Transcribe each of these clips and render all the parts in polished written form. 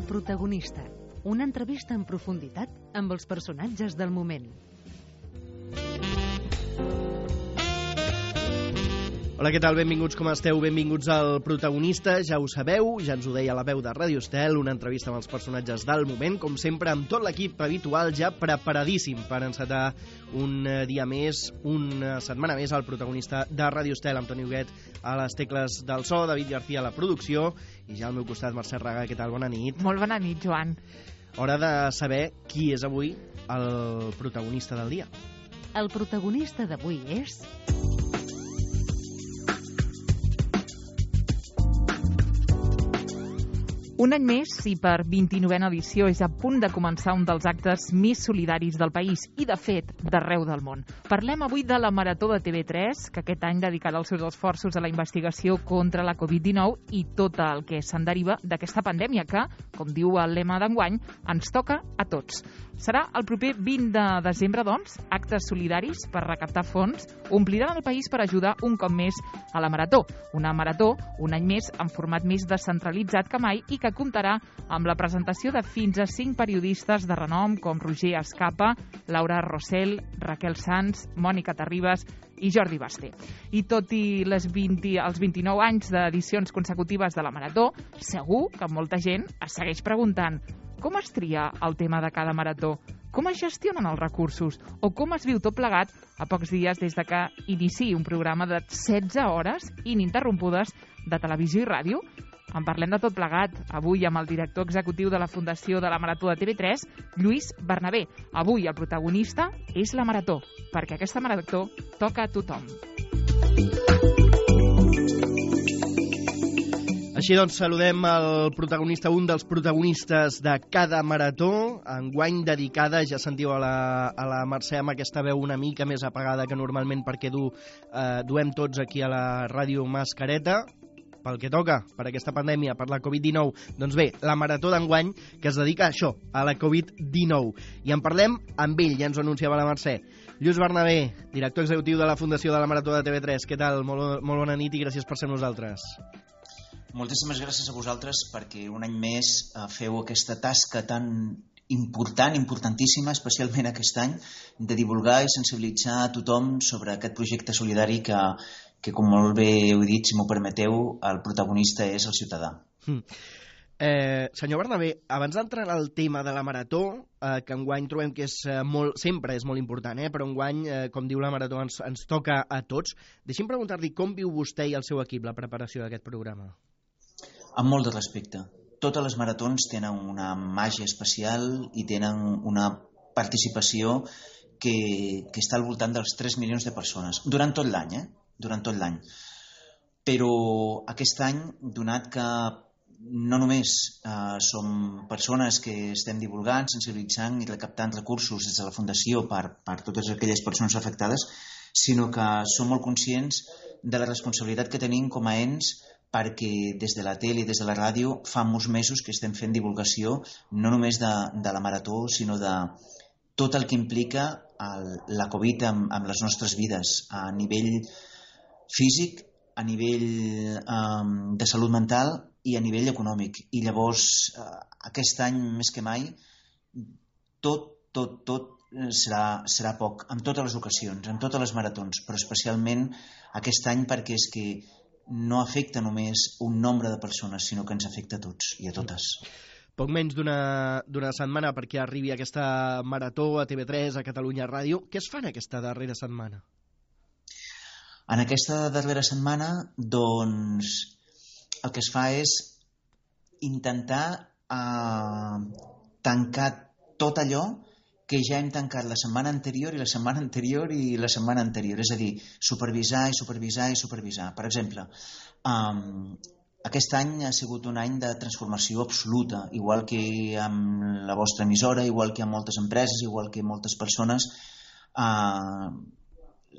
protagonista, una entrevista en profunditat amb els personatges del moment. Hola, què tal? Benvinguts, com esteu? Benvinguts al Protagonista. Ja ho sabeu, ja ens ho deia la veu de Ràdio Estel, una entrevista amb els personatges del moment, com sempre, amb tot l'equip habitual ja preparadíssim per encetar un dia més, una setmana més, al Protagonista de Ràdio Estel, amb Toni Huguet a les tecles del so, David García a la producció, i ja al meu costat, Mercè Raga. Què tal? Bona nit. Molt bona nit, Joan. Hora de saber qui és avui el protagonista del dia. El protagonista d'avui és... Un any més, i per 29a edició, és a punt de començar un dels actes més solidaris del país i, de fet, d'arreu del món. Parlem avui de la Marató de TV3, que aquest any dedicarà els seus esforços a la investigació contra la Covid-19 i tot el que se'n deriva d'aquesta pandèmia que, com diu el lema d'enguany, ens toca a tots. Serà el proper 20 de desembre, doncs, actes solidaris per recaptar fons ompliran el país per ajudar un cop més a la Marató. Una Marató, un any més, en format més descentralitzat que mai i que comptarà amb la presentació de fins a 5 periodistes de renom com Roger Escapa, Laura Rossell, Raquel Sanz, Mònica Terribas i Jordi Basté. I tot i els 29 anys d'edicions consecutives de la Marató, segur que molta gent es segueix preguntant com es tria el tema de cada marató, com es gestionen els recursos o com es viu tot plegat a pocs dies des de que iniciï un programa de 16 hores ininterrompudes de televisió i ràdio. En parlem de tot plegat avui amb el director executiu de la Fundació de la Marató de TV3, Lluís Bernabé. Avui el protagonista és la Marató, perquè aquesta Marató toca a tothom. Així doncs, saludem el protagonista, un dels protagonistes de cada marató, enguany dedicada, ja sentiu a la Mercè amb aquesta veu una mica més apagada que normalment perquè duem tots aquí a la ràdio mascareta, pel que toca, per aquesta pandèmia, per la Covid-19. Doncs bé, la marató d'enguany que es dedica a això, a la Covid-19. I en parlem amb ell, ja ens ho anunciava la Mercè. Lluís Bernabé, director executiu de la Fundació de la Marató de TV3. Què tal? Molt bona nit i gràcies per ser amb nosaltres. Moltíssimes gràcies a vosaltres perquè un any més feu aquesta tasca tan important, importantíssima, especialment aquest any, de divulgar i sensibilitzar a tothom sobre aquest projecte solidari que com molt bé heu dit, si m'ho permeteu, el protagonista és el ciutadà. Senyor Bernabé, abans d'entrar en el tema de la Marató, que enguany trobem que sempre és molt important, però enguany, com diu la Marató, ens toca a tots, deixi'm preguntar-li com viu vostè i el seu equip la preparació d'aquest programa. Amb molt de respecte. Totes les maratons tenen una màgia especial i tenen una participació que està al voltant dels 3 milions de persones, durant tot l'any, durant tot l'any. Però aquest any, donat que no només som persones que estem divulgant, sensibilitzant i recaptant recursos des de la Fundació per totes aquelles persones afectades, sinó que som molt conscients de la responsabilitat que tenim com a ens perquè des de la tele i des de la ràdio fa molts mesos que estem fent divulgació no només de la Marató, sinó de tot el que implica la Covid amb les nostres vides, a nivell físic, a nivell de salut mental i a nivell econòmic. I llavors, aquest any més que mai, tot serà poc, en totes les ocasions, en totes les maratons, però especialment aquest any perquè és que no afecta només un nombre de persones, sinó que ens afecta a tots i a totes. Poc menys d'una setmana perquè arribi aquesta marató a TV3, a Catalunya Ràdio. Què es fa en aquesta darrera setmana? En aquesta darrera setmana, doncs, el que es fa és intentar tancar tot allò que ja hem tancat la setmana anterior i la setmana anterior i la setmana anterior. És a dir, supervisar i supervisar i supervisar. Per exemple, aquest any ha sigut un any de transformació absoluta, igual que amb la vostra emissora, igual que amb moltes empreses, igual que moltes persones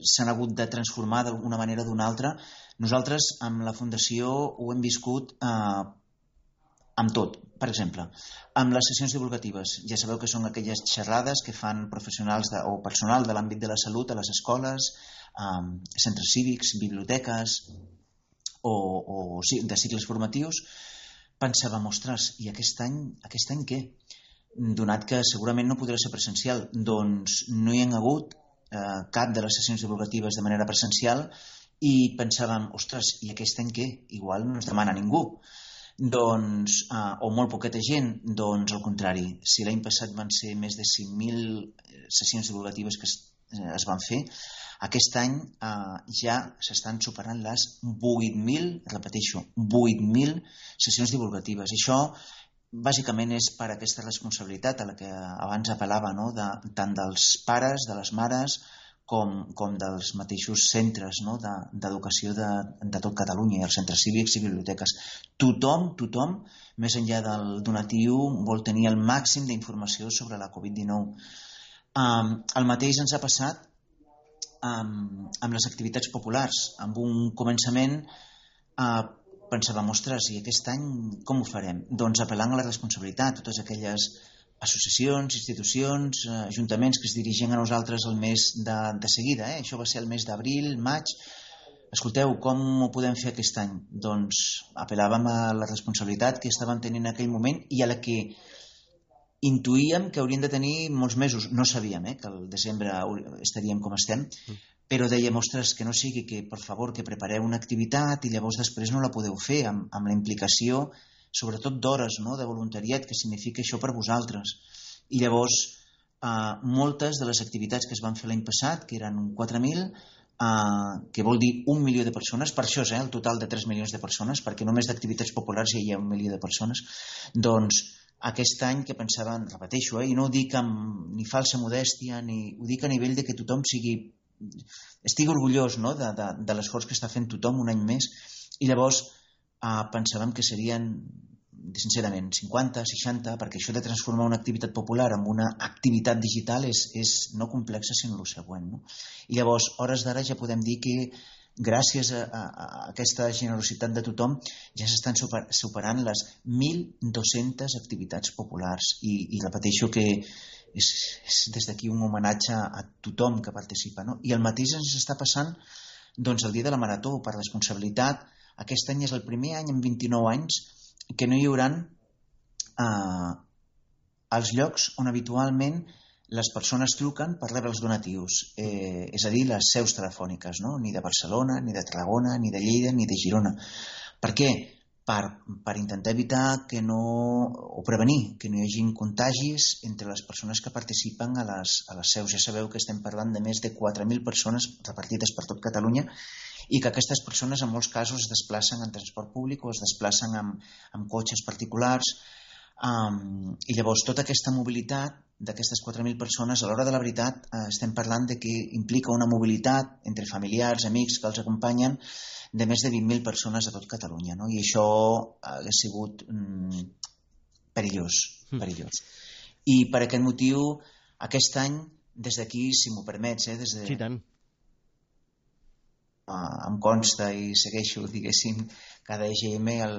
s'han hagut de transformar d'una manera o d'una altra. Nosaltres, amb la Fundació, ho hem viscut amb tot. Per exemple, amb les sessions divulgatives. Ja sabeu que són aquelles xerrades que fan professionals o personal de l'àmbit de la salut a les escoles, centres cívics, biblioteques o de cicles formatius pensàvem, ostres, i aquest any què? Donat que segurament no podrà ser presencial, doncs no hi ha hagut cap de les sessions divulgatives de manera presencial i pensàvem, ostres, i aquest any què? Igual no ens demana ningú. Doncs, o molt poqueta gent, doncs al contrari. Si l'any passat van ser més de 5.000 sessions divulgatives que es van fer, aquest any ja s'estan superant les 8.000, repeteixo, 8.000 sessions divulgatives. Això bàsicament és per aquesta responsabilitat a la que abans apel·lava, no? Tant dels pares, de les mares, com dels mateixos centres, no? d'educació de tot Catalunya, i els centres cívics i biblioteques. Tothom, més enllà del donatiu, vol tenir el màxim d'informació sobre la Covid-19. El mateix ens ha passat amb les activitats populars. Amb un començament pensàvem, ostres, i aquest any com ho farem? Doncs apel·lant a la responsabilitat, totes aquelles associacions, institucions, ajuntaments que es dirigien a nosaltres el mes de seguida. Això va ser el mes d'abril, maig. Escolteu, com ho podem fer aquest any? Doncs apel·làvem a la responsabilitat que estaven tenint en aquell moment i a la que intuïem que haurien de tenir molts mesos. No sabíem que al desembre estaríem com estem, però dèiem, ostres, que no sigui que, per favor, que prepareu una activitat i llavors després no la podeu fer amb la implicació, sobretot d'hores, no? De voluntariat, que significa això per vosaltres. I llavors, moltes de les activitats que es van fer l'any passat, que eren 4.000, que vol dir 1 milió de persones, per això és el total de 3 milions de persones, perquè només d'activitats populars ja hi ha 1 milió de persones, doncs aquest any que pensaven, repeteixo, i no ho dic amb ni falsa modèstia, ni ho dic a nivell de que tothom estigui orgullós, no? de l'esforç que està fent tothom un any més, i llavors pensàvem que serien, sincerament, 50, 60, perquè això de transformar una activitat popular en una activitat digital és no complexa, sinó el següent. No? I llavors, hores d'ara ja podem dir que gràcies a aquesta generositat de tothom ja s'estan superant les 1.200 activitats populars i repeteixo que és des d'aquí un homenatge a tothom que participa. No? I el mateix ens està passant doncs, el dia de la Marató, per responsabilitat. Aquest any és el primer any en 29 anys que no hi hauran els llocs on habitualment les persones truquen per rebre els donatius, és a dir, les seus telefòniques, no? Ni de Barcelona, ni de Tarragona, ni de Lleida, ni de Girona. Per què? Per intentar evitar o prevenir que no hi hagi contagis entre les persones que participen a les seus. Ja sabeu que estem parlant de més de 4.000 persones repartides per tot Catalunya i que aquestes persones en molts casos es desplacen en transport públic o es desplacen amb cotxes particulars. I llavors tota aquesta mobilitat d'aquestes 4.000 persones, a l'hora de la veritat estem parlant de que implica una mobilitat entre familiars, amics que els acompanyen de més de 20.000 persones a tot Catalunya, no? I això ha sigut perillós. I per aquest motiu, aquest any, des d'aquí, si m'ho permets, Sí, tant. Em consta i segueixo, diguéssim, cada EGM a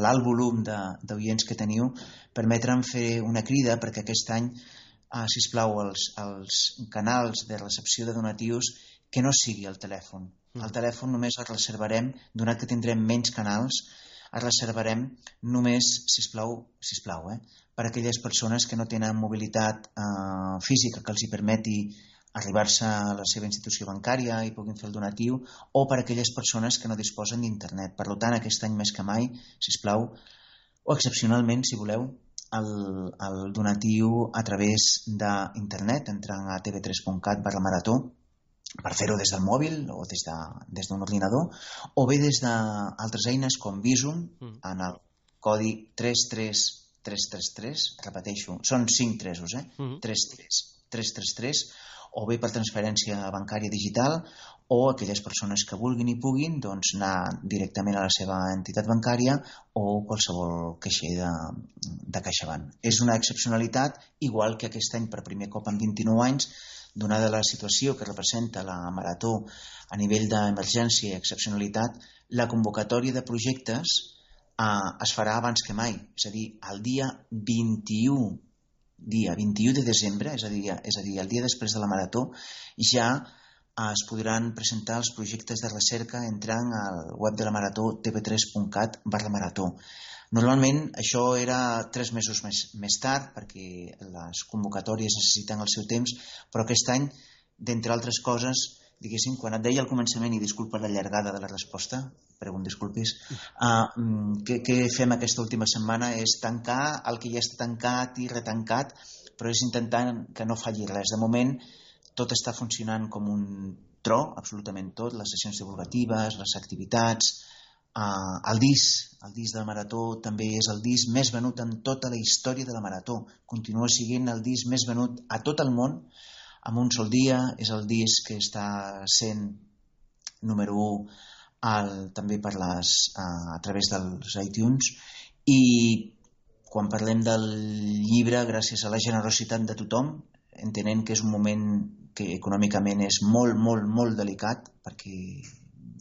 l'alt volum d'oients que teniu, permetre'm fer una crida perquè aquest any, sisplau, els canals de recepció de donatius que no sigui el telèfon. El telèfon només el reservarem, donat que tindrem menys canals, el reservarem només, sisplau, per a aquelles persones que no tenen mobilitat física que els hi permeti arribar-se a la seva institució bancària i puguin fer el donatiu, o per a aquelles persones que no disposen d'internet. Per tant, aquest any més que mai, sisplau, o excepcionalment, si voleu, el donatiu a través d'internet, entrant a tv3.cat/marató, per fer-ho des del mòbil o des d'un ordinador, o bé des d'altres eines com Bizum, en el codi 33333, repeteixo, són 5 tresos, 33333, o bé per transferència bancària digital, o aquelles persones que vulguin i puguin doncs, anar directament a la seva entitat bancària o qualsevol caixer de CaixaBank. És una excepcionalitat, igual que aquest any per primer cop en 29 anys, donada la situació que representa la Marató a nivell d'emergència i excepcionalitat, la convocatòria de projectes es farà abans que mai, és a dir, el dia 21 de desembre, és a dir, el dia després de la Marató, ja es podran presentar els projectes de recerca entrant al web de la Marató tv3.cat/marató. Normalment això era 3 mesos més tard perquè les convocatòries necessiten el seu temps, però aquest any, d'entre altres coses, diguéssim, quan et deia al començament, i disculpa la llargada de la resposta, però un disculpis, què fem aquesta última setmana és tancar el que ja està tancat i retancat, però és intentant que no falli res. De moment, tot està funcionant com un tro, absolutament tot, les sessions divulgatives, les activitats, el disc del Marató també és el disc més venut en tota la història de la Marató. Continua sent el disc més venut a tot el món, en un sol dia. És el disc que està sent número 1 també a través dels iTunes. I quan parlem del llibre, gràcies a la generositat de tothom, entenent que és un moment que econòmicament és molt, molt, molt delicat, perquè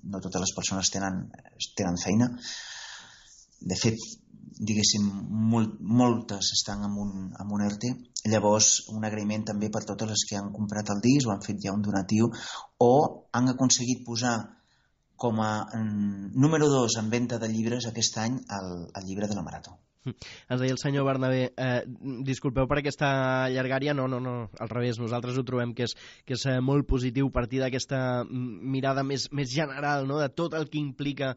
no totes les persones tenen feina. De fet, diguéssim, moltes estan en un ERTE. Llavors, un agraïment també per totes les que han comprat el disc o han fet ja un donatiu o han aconseguit posar com a número 2 en venda de llibres aquest any el llibre de la Marató. Ens deia el senyor Bernabé, disculpeu per aquesta llargària, no, al revés, nosaltres ho trobem que és molt positiu partir d'aquesta mirada més general, no?, de tot el que implica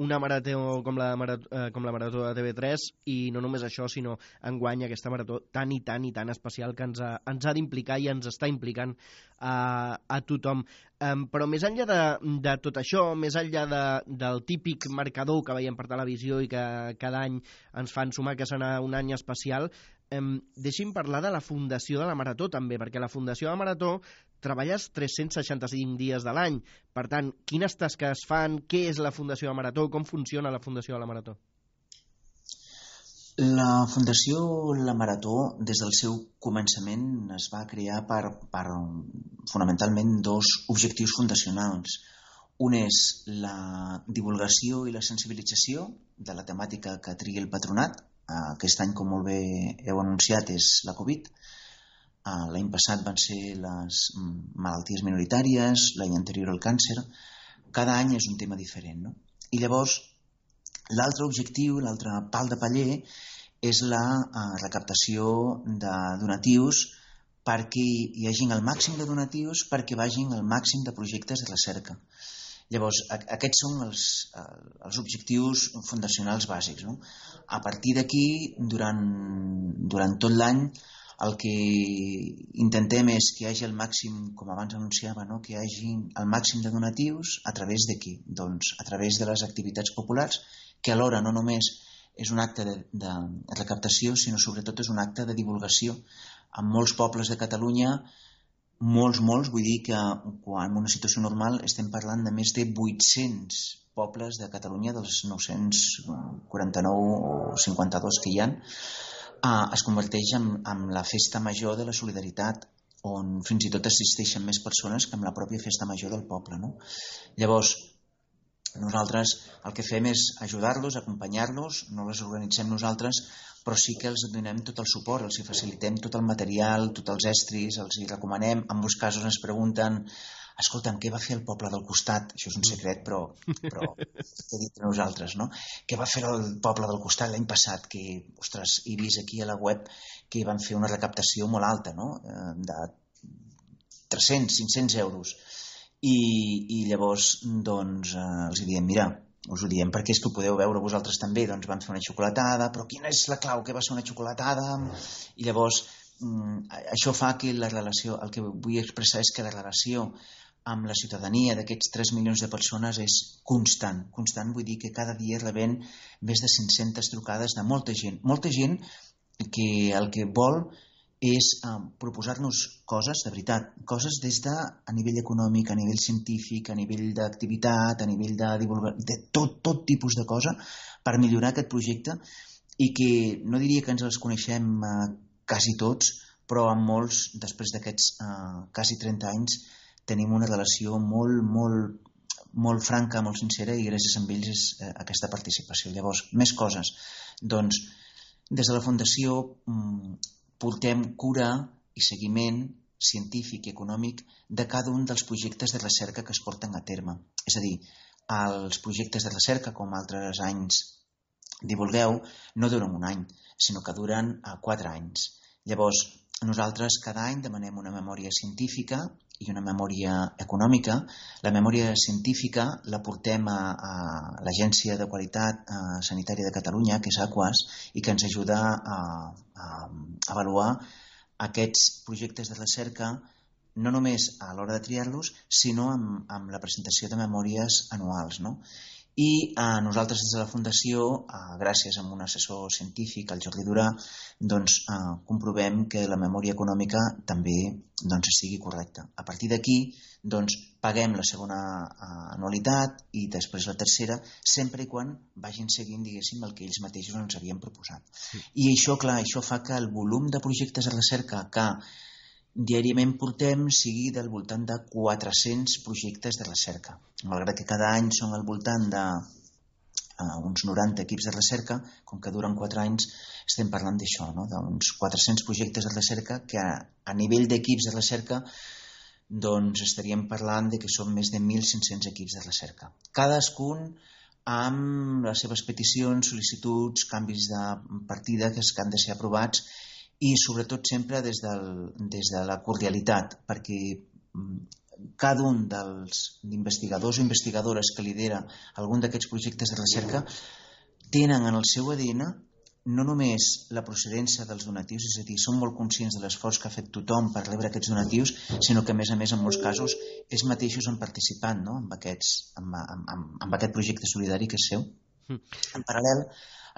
una marató com la Marató de TV3, i no només això, sinó enguany aquesta marató tan i tan especial que ens ha d'implicar i ens està implicant a tothom. Però més enllà de tot això, més enllà del típic marcador que veiem per televisió i que cada any ens fan sumar que serà un any especial, deixi'm parlar de la Fundació de la Marató també, perquè la Fundació de la Marató treballes 365 dies de l'any. Per tant, quines tasques fan? Què és la Fundació de la Marató? Com funciona la Fundació de la Marató? La Fundació La Marató, des del seu començament, es va crear per fonamentalment 2 objectius fundacionals. Un és la divulgació i la sensibilització de la temàtica que trigui el patronat. Aquest any, com molt bé heu anunciat, és la Covid. L'any passat van ser les malalties minoritàries, l'any anterior el càncer. Cada any és un tema diferent, no? I llavors, l'altre objectiu, l'altre pal de paller, és la recaptació de donatius perquè hi hagin el màxim de donatius perquè vagin el màxim de projectes de recerca. Llavors, aquests són els objectius fundacionals bàsics, no? A partir d'aquí, durant tot l'any, el que intentem és que hi hagi el màxim, com abans anunciava, no?, que hi hagi el màxim de donatius a través de qui? Doncs a través de les activitats populars, que alhora no només és un acte de recaptació, sinó sobretot és un acte de divulgació. En molts pobles de Catalunya, molts, vull dir que en una situació normal estem parlant de més de 800 pobles de Catalunya, dels 949 o 52 que hi ha, es converteix en la festa major de la solidaritat, on fins i tot assisteixen més persones que en la pròpia festa major del poble, no? Llavors, nosaltres el que fem és ajudar-los, acompanyar-los, no les organitzem nosaltres, però sí que els donem tot el suport, els facilitem tot el material, tots els estris, els hi recomanem. En molts casos ens pregunten, escolta'm, què va fer el poble del costat? Això és un secret, però t'he dit a nosaltres, no? Què va fer el poble del costat l'any passat? Que, ostres, he vist aquí a la web que van fer una recaptació molt alta, no?, de 300-500 euros. I llavors doncs els diem, mira, us ho diem perquè és que ho podeu veure vosaltres també, doncs van fer una xocolatada, però quina és la clau? Què va ser una xocolatada? I llavors això fa que la relació, el que vull expressar és que la relació amb la ciutadania d'aquests 3 milions de persones és constant, vull dir que cada dia rebem més de 500 trucades de molta gent que el que vol és proposar-nos coses, de veritat, coses des de a nivell econòmic, a nivell científic, a nivell d'activitat, a nivell de divulgació, de tot tipus de cosa per millorar aquest projecte, i que no diria que ens els coneixem quasi tots, però amb molts, després d'aquests quasi 30 anys, tenim una relació molt franca, molt sincera, i gràcies a ells és aquesta participació. Llavors, més coses. Doncs, des de la Fundació portem cura i seguiment científic i econòmic de cada un dels projectes de recerca que es porten a terme. És a dir, els projectes de recerca, com altres anys divulgueu, no duren un any, sinó que duren 4 anys. Llavors, nosaltres cada any demanem una memòria científica i una memòria econòmica. La memòria científica la portem a l'Agència de Qualitat Sanitària de Catalunya, que és AQUAS, i que ens ajuda a avaluar aquests projectes de recerca no només a l'hora de triar-los, sinó amb la presentació de memòries anuals, no? I nosaltres des de la Fundació, gràcies a un assessor científic, el Jordi Durà, comprovem que la memòria econòmica també estigui correcta. A partir d'aquí paguem la segona anualitat i després la tercera, sempre i quan vagin seguint, diguéssim, el que ells mateixos ens havien proposat. I això, clar, això fa que el volum de projectes de recerca que diàriament portem sigui del voltant de 400 projectes de recerca. Malgrat que cada any són al voltant d'uns 90 equips de recerca, com que duren 4 anys, estem parlant d'això, no? D'uns 400 projectes de recerca que a nivell d'equips de recerca estaríem parlant de que són més de 1.500 equips de recerca. Cadascun amb les seves peticions, sol·licituds, canvis de partida que han de ser aprovats, i sobretot sempre des de la cordialitat, perquè cada un dels investigadors o investigadores que lidera algun d'aquests projectes de recerca tenen en el seu ADN no només la procedència dels donatius, és a dir, són molt conscients de l'esforç que ha fet tothom per rebre aquests donatius, sinó que a més, en molts casos, ells mateixos han participat, no? amb aquest projecte solidari que és seu. En paral·lel,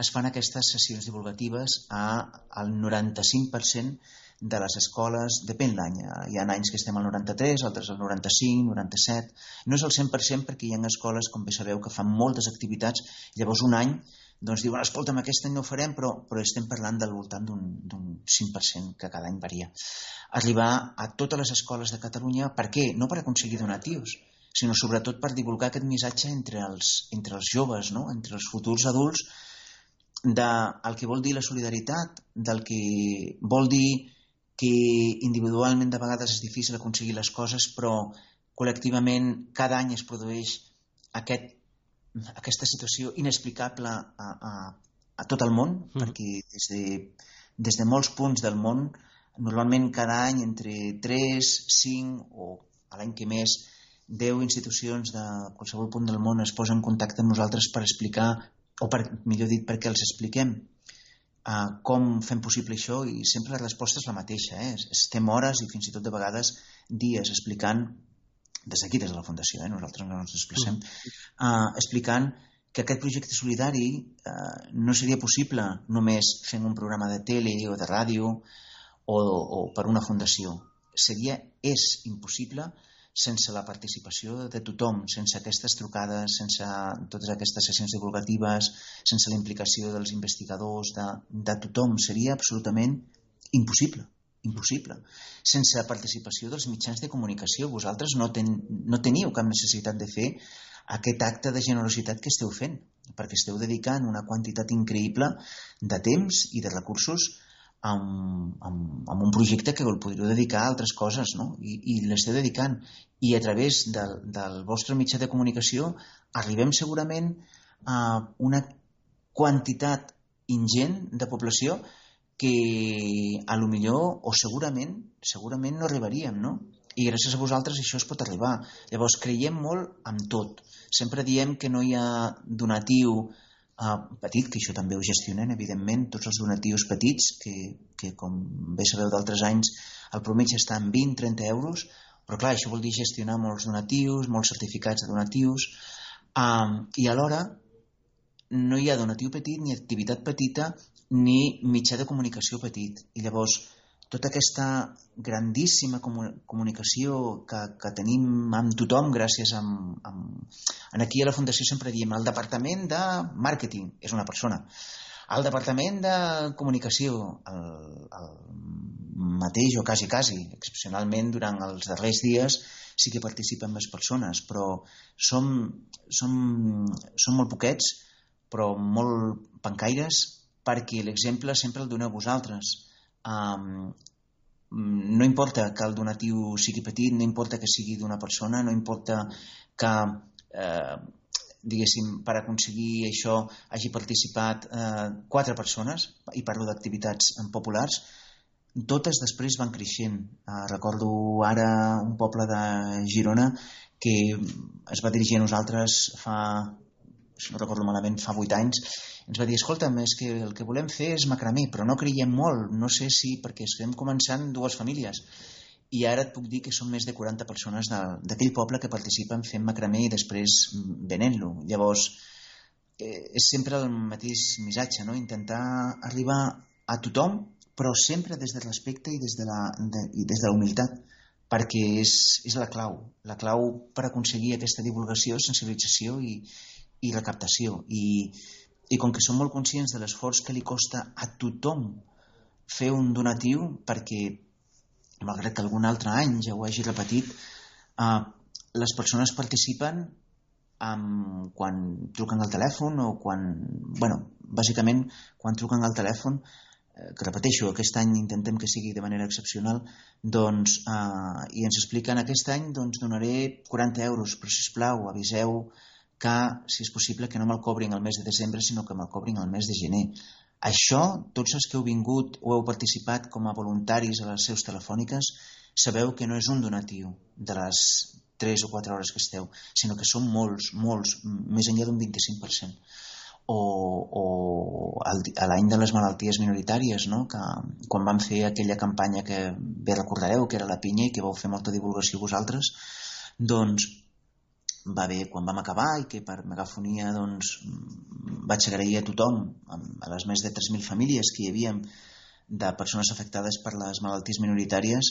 es fan aquestes sessions divulgatives al 95% de les escoles, depèn l'any. Hi ha anys que estem al 93, altres al 95, 97. No és el 100% perquè hi ha escoles, com bé sabeu, que fan moltes activitats. Llavors un any diuen, escolta'm, aquest any no ho farem, però estem parlant del voltant d'un 5% que cada any varia. Arribar a totes les escoles de Catalunya, per què? No per aconseguir donatius, sinó sobretot per divulgar aquest missatge entre els joves, no? Entre els futurs adults, del que vol dir la solidaritat, del que vol dir que individualment de vegades és difícil aconseguir les coses, però col·lectivament cada any es produeix aquesta situació inexplicable a tot el món, perquè des de molts punts del món, normalment cada any entre 3, 5 o a l'any que més 10 institucions de qualsevol punt del món es posen en contacte amb nosaltres per explicar, o millor dit, perquè els expliquem com fem possible això, i sempre la resposta és la mateixa. Estem hores i fins i tot de vegades dies explicant, des d'aquí, des de la Fundació, nosaltres no ens desplacem, explicant que aquest projecte solidari no seria possible només fent un programa de tele o de ràdio o per una fundació. És impossible sense la participació de tothom, sense aquestes trucades, sense totes aquestes sessions divulgatives, sense la implicació dels investigadors, de tothom. Seria absolutament impossible. Sense la participació dels mitjans de comunicació. Vosaltres no teniu cap necessitat de fer aquest acte de generositat que esteu fent, perquè esteu dedicant una quantitat increïble de temps i de recursos a un projecte que el podríeu dedicar a altres coses, no? I l'esteu dedicant. I a través del vostre mitjà de comunicació arribem segurament a una quantitat ingent de població que a lo millor o segurament no arribaríem, no? I gràcies a vosaltres això es pot arribar. Llavors creiem molt en tot. Sempre diem que no hi ha donatiu petit, que això també ho gestionem, evidentment, tots els donatius petits, que com bé sabeu d'altres anys, el promèdia està en 20-30 euros, però clar, això vol dir gestionar molts donatius, molts certificats de donatius, i alhora no hi ha donatiu petit, ni activitat petita, ni mitjà de comunicació petit. I llavors, tota aquesta grandíssima comunicació que tenim amb tothom, gràcies aquí a la Fundació sempre diem el departament de màrqueting és una persona, el departament de comunicació el mateix o quasi, excepcionalment durant els darrers dies sí que participen més persones, però som molt poquets, però molt pencaires, perquè l'exemple sempre el doneu vosaltres. no importa que el donatiu sigui petit, no importa que sigui d'una persona, no importa que, diguéssim, per aconseguir això hagi participat 4 persones, i parlo d'activitats populars, totes després van creixent. Recordo ara un poble de Girona que es va dirigir a nosaltres si no recordo malament, fa 8 anys, ens va dir, escolta'm, és que el que volem fer és macramé, però no creiem molt, no sé si, perquè estem començant 2 famílies, i ara et puc dir que són més de 40 persones d'aquell poble que participen fent macramé i després venent-lo. Llavors, és sempre el mateix missatge, no? Intentar arribar a tothom, però sempre des del respecte i des de la humilitat, perquè és la clau per aconseguir aquesta divulgació, sensibilització i recaptació. I com que som molt conscients de l'esforç que li costa a tothom fer un donatiu, perquè, malgrat que algun altre any ja ho hagi repetit, les persones participen quan truquen al telèfon o bàsicament quan truquen al telèfon, que repeteixo, aquest any intentem que sigui de manera excepcional, i ens expliquen aquest any donaré 40 euros, però sisplau aviseu que, si és possible, que no me'l cobrin el mes de desembre, sinó que me'l cobrin el mes de gener. Això, tots els que heu vingut o heu participat com a voluntaris a les seus telefòniques, sabeu que no és un donatiu de les 3 o 4 hores que esteu, sinó que són molts, més enllà d'un 25%. O a l'any de les malalties minoritàries, no? Que quan vam fer aquella campanya que bé recordareu, que era la pinya i que vau fer molta divulgació vosaltres, va bé quan vam acabar i que per megafonia vaig agrair a tothom, a les més de 3.000 famílies que hi havia de persones afectades per les malalties minoritàries,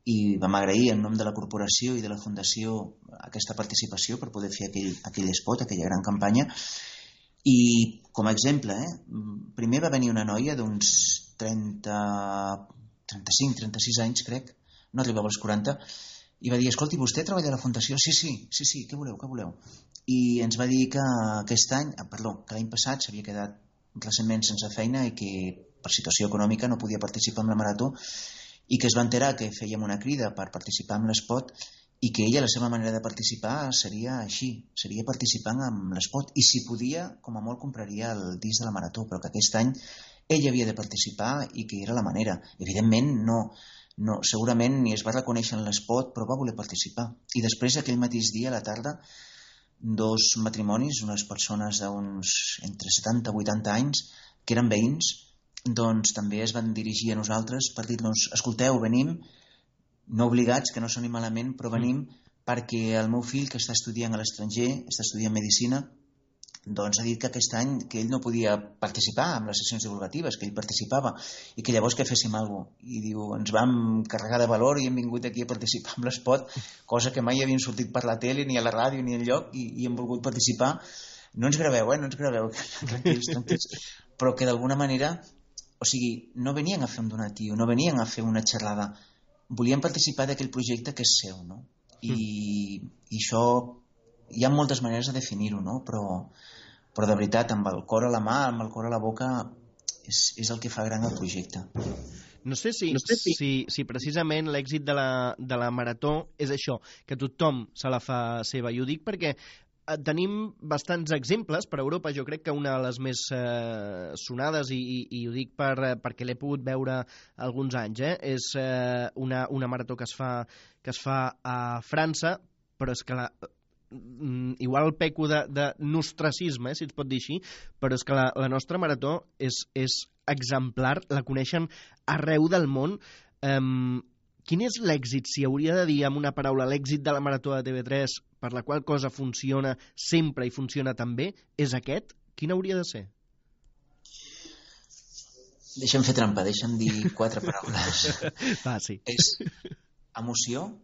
i vam agrair en nom de la corporació i de la fundació aquesta participació per poder fer aquell spot, aquella gran campanya. I com a exemple, primer va venir una noia d'uns 35-36 anys, crec, no arribava als 40, i va dir, escolti, vostè treballa a la fundació? Sí, què voleu? I ens va dir que que l'any passat s'havia quedat recentment sense feina i que per situació econòmica no podia participar en la marató, i que es va enterar que fèiem una crida per participar en l'espot i que ella, la seva manera de participar seria així, seria participant en l'espot, i si podia, com a molt compraria el disc de la marató, però que aquest any ella havia de participar i que era la manera. Evidentment segurament ni es va reconèixer en l'espot, però va voler participar. I després, aquell mateix dia, a la tarda, 2 matrimonis, unes persones d'uns entre 70 i 80 anys, que eren veïns, també es van dirigir a nosaltres per dir-nos, escolteu, venim, no obligats, que no soni malament, però venim perquè el meu fill, que està estudiant a l'estranger, està estudiant Medicina, ha dit que aquest any que ell no podia participar en les sessions divulgatives, que ell participava, i que llavors que féssim alguna cosa. I diu, ens vam carregar de valor i hem vingut aquí a participar en l'espot, cosa que mai havíem sortit per la tele, ni a la ràdio, ni enlloc, i hem volgut participar. No ens graveu, tranquils, però que d'alguna manera, o sigui, no venien a fer un donatiu, no venien a fer una xerrada, volien participar d'aquell projecte que és seu, no? I això hi ha moltes maneres de definir-ho, no? Però de veritat, amb el cor a la mà, amb el cor a la boca, és el que fa gran el projecte. No sé si precisament l'èxit de la marató és això, que tothom se la fa seva. I ho dic perquè tenim bastants exemples per Europa. Jo crec que una de les més sonades, i ho dic perquè l'he pogut veure alguns anys, és una marató que es fa a França, però és que igual peco de nostracisme, si es pot dir així, però és que la nostra marató és exemplar, la coneixen arreu del món. Quin és l'èxit, si hauria de dir amb una paraula l'èxit de la marató de TV3, per la qual cosa funciona sempre i funciona tan bé, és aquest? Quin hauria de ser? Deixa'm fer trampa, deixa'm dir 4 paraules. Sí. És emoció,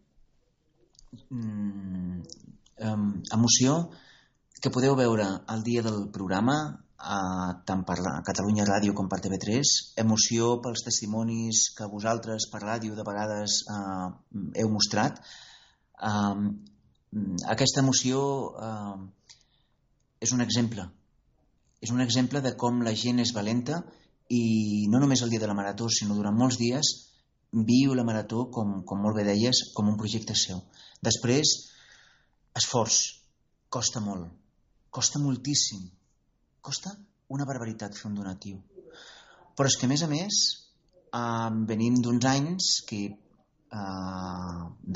emoció que podeu veure el dia del programa, tant per Catalunya Ràdio com per TV3, emoció pels testimonis que vosaltres per ràdio de vegades heu mostrat. Aquesta emoció és un exemple de com la gent és valenta, i no només el dia de la marató, sinó durant molts dies viu la marató, com molt bé deies, com un projecte seu. Després, esforç. Costa molt. Costa moltíssim. Costa una barbaritat fer un donatiu. Però és que, a més, venim d'uns anys que,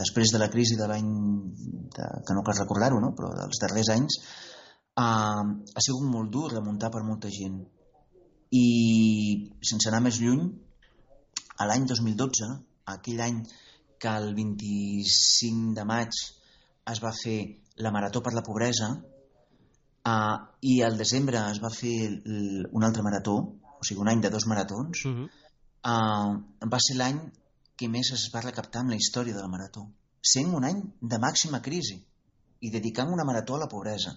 després de la crisi de l'any, que no cal recordar-ho, no? Però dels darrers anys, ha sigut molt dur remuntar per molta gent. I, sense anar més lluny, a l'any 2012, aquell any que el 25 de maig es va fer la Marató per la Pobresa, i al desembre es va fer un altre marató, o sigui, un any de 2 maratons, va ser l'any que més es va recaptar en la història de la marató, sent un any de màxima crisi i dedicant una marató a la pobresa.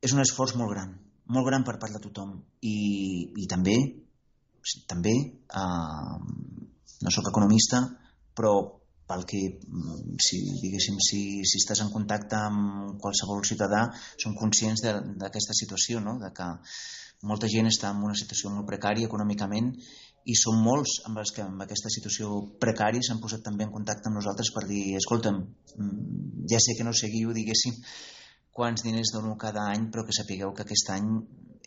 És un esforç molt gran per part de tothom, i també no sóc economista, però pel que, si estàs en contacte amb qualsevol ciutadà, som conscients d'aquesta situació, no? De que molta gent està en una situació molt precària econòmicament, i són molts amb els que en aquesta situació precària s'han posat també en contacte amb nosaltres per dir, escolta'm, ja sé que no seguiu, diguéssim, quants diners dono cada any, però que sapigueu que aquest any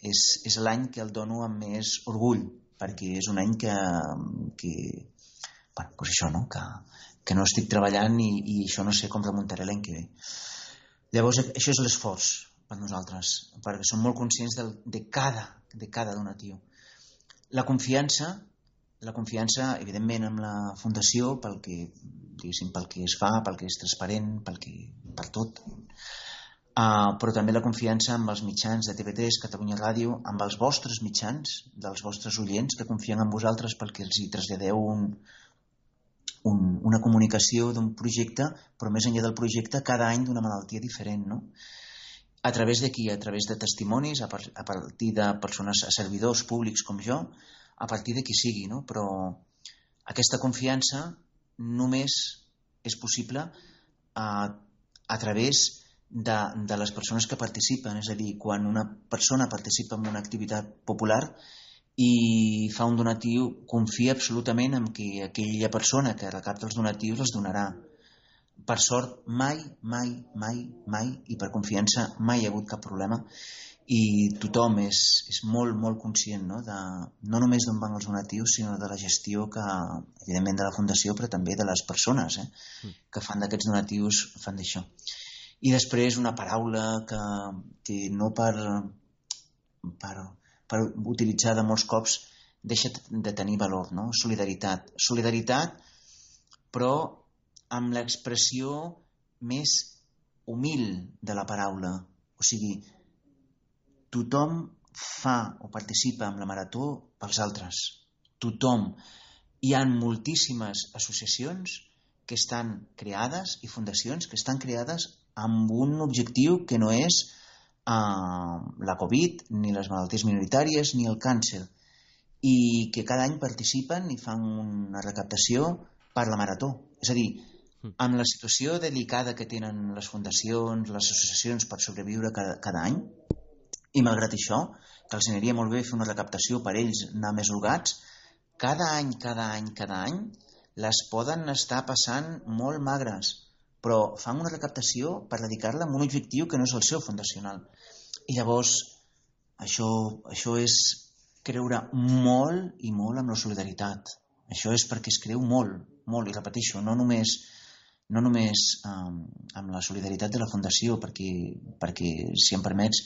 és l'any que el dono amb més orgull, perquè és un any que doncs això, no? Que no estic treballant, i això no sé com remuntaré l'any que ve. Llavors, això és l'esforç per nosaltres, perquè som molt conscients de cada donatiu. La confiança, evidentment, amb la Fundació, pel que es fa, pel que és transparent, per tot, però també la confiança amb els mitjans de TV3, Catalunya Ràdio, amb els vostres mitjans, dels vostres oients, que confien en vosaltres perquè els hi traslladeu una comunicació d'un projecte, però més enllà del projecte, cada any d'una malaltia diferent, no? A través de qui? A través de testimonis, a partir de persones, servidors públics com jo, a partir de qui sigui, no? Però aquesta confiança només és possible a través de les persones que participen. És a dir, quan una persona participa en una activitat popular i fa un donatiu, confia absolutament en que aquella persona que recapta els donatius els donarà. Per sort, mai, i per confiança mai hi ha hagut cap problema, i tothom és molt, molt conscient, no? No només d'on van els donatius, sinó de la gestió que, evidentment, de la Fundació, però també de les persones que fan d'aquests donatius, fan d'això. I després una paraula que no per utilitzar de molts cops deixa de tenir valor, no? Solidaritat. Solidaritat, però amb l'expressió més humil de la paraula. O sigui, tothom fa o participa en la marató pels altres. Tothom. Hi ha moltíssimes associacions que estan creades i fundacions que estan creades amb un objectiu que no és la Covid, ni les malalties minoritàries, ni el càncer, i que cada any participen i fan una recaptació per la marató. És a dir, amb la situació delicada que tenen les fundacions, les associacions per sobreviure cada any, i malgrat això, que els aniria molt bé fer una recaptació per ells anar més holgats, cada any, les poden estar passant molt magres, però fan una recaptació per dedicar-la a un objectiu que no és el seu fundacional. I llavors, això és creure molt i molt amb la solidaritat. Això és perquè es creu molt, i repeteixo, no només amb la solidaritat de la Fundació, perquè si em permets,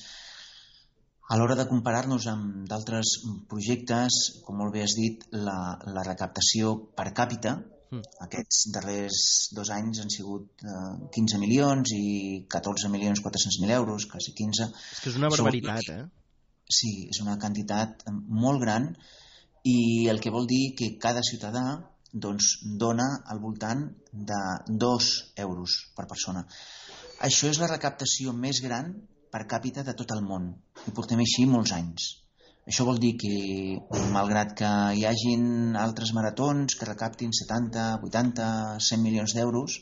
a l'hora de comparar-nos amb d'altres projectes, com molt bé has dit, la recaptació per càpita, aquests darrers 2 anys han sigut 15 milions i 14.400.000 euros, quasi 15. És que és una barbaritat, Sí, és una quantitat molt gran, i el que vol dir que cada ciutadà dona al voltant de 2 euros per persona. Això és la recaptació més gran per càpita de tot el món, i portem així molts anys. Això vol dir que, malgrat que hi hagin altres maratons que recaptin 70, 80, 100 milions d'euros,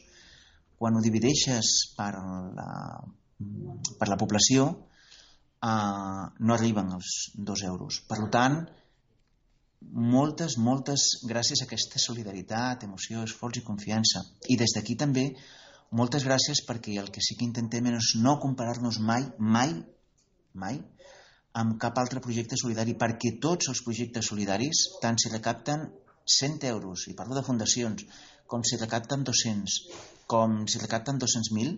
quan ho divideixes per la població, no arriben als 2 euros. Per tant, moltes gràcies a aquesta solidaritat, emoció, esforç i confiança. I des d'aquí també moltes gràcies, perquè el que sí que intentem és no comparar-nos mai amb cap altre projecte solidari, perquè tots els projectes solidaris, tant si recapten 100 euros, i parlo de fundacions, com si recapten 200, com si recapten 200.000,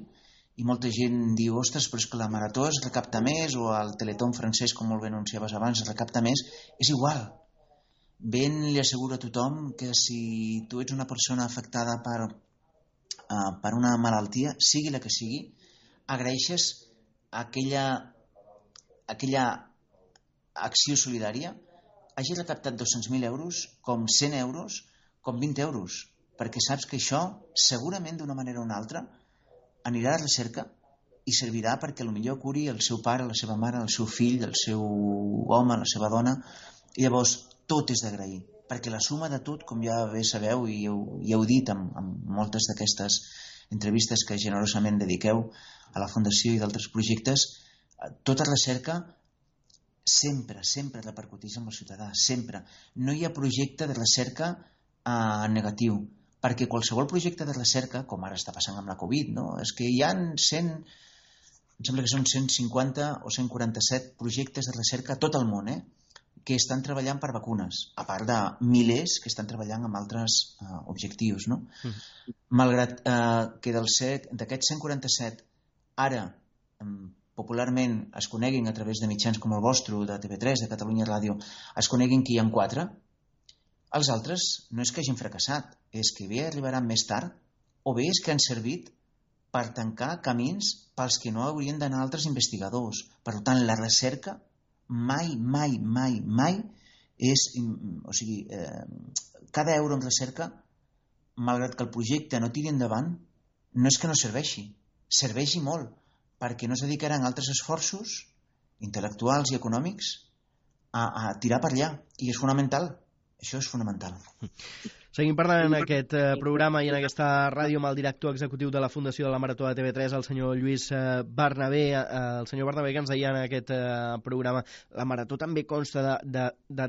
i molta gent diu, ostres, però és que la Marató es recapta més, o el Teletón francès, com molt bé anunciaves abans, es recapta més. És igual. Ben li asseguro a tothom que si tu ets una persona afectada per una malaltia, sigui la que sigui, agraeixes aquella acció solidària, hagi recaptat 200.000 euros, com 100 euros, com 20 euros, perquè saps que això, segurament d'una manera o una altra, anirà a la recerca i servirà perquè potser curi el seu pare, la seva mare, el seu fill, el seu home, la seva dona. I llavors tot és d'agrair, perquè la suma de tot, com ja bé sabeu i ja heu dit en moltes d'aquestes entrevistes que generosament dediqueu a la Fundació i d'altres projectes, tota recerca sempre repercuteix amb el ciutadà, sempre. No hi ha projecte de recerca negatiu, perquè qualsevol projecte de recerca, com ara està passant amb la Covid, no? És que hi ha em sembla que són 150 o 147 projectes de recerca a tot el món, que estan treballant per vacunes, a part de milers que estan treballant amb altres objectius, no? Malgrat que d'aquests 147 ara popularment es coneguin a través de mitjans com el vostre, de TV3, de Catalunya Ràdio, es coneguin que hi ha 4, els altres no és que hagin fracassat, és que bé arribaran més tard, o bé és que han servit per tancar camins pels que no haurien d'anar altres investigadors. Per tant, la recerca mai és... O sigui, cada euro en recerca, malgrat que el projecte no tiri endavant, no és que no serveixi, serveixi molt, perquè no es dedicaran altres esforços intel·lectuals i econòmics a tirar per allà. I és fonamental. Això és fonamental. Seguim parlant en aquest programa i en aquesta ràdio amb el director executiu de la Fundació de la Marató de TV3, el senyor Lluís Bernabé. El senyor Bernabé, que ens deia en aquest programa, la Marató també consta de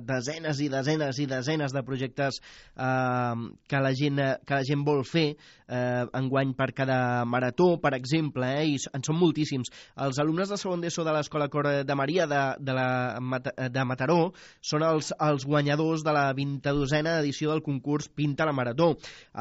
desenes i desenes de projectes que la gent vol fer enguany per cada marató, per exemple, i en són moltíssims. Els alumnes de segon d'ESO de l'Escola Cor de Maria de Mataró són els guanyadors de la 22a edició del concurs Pinta la Marató.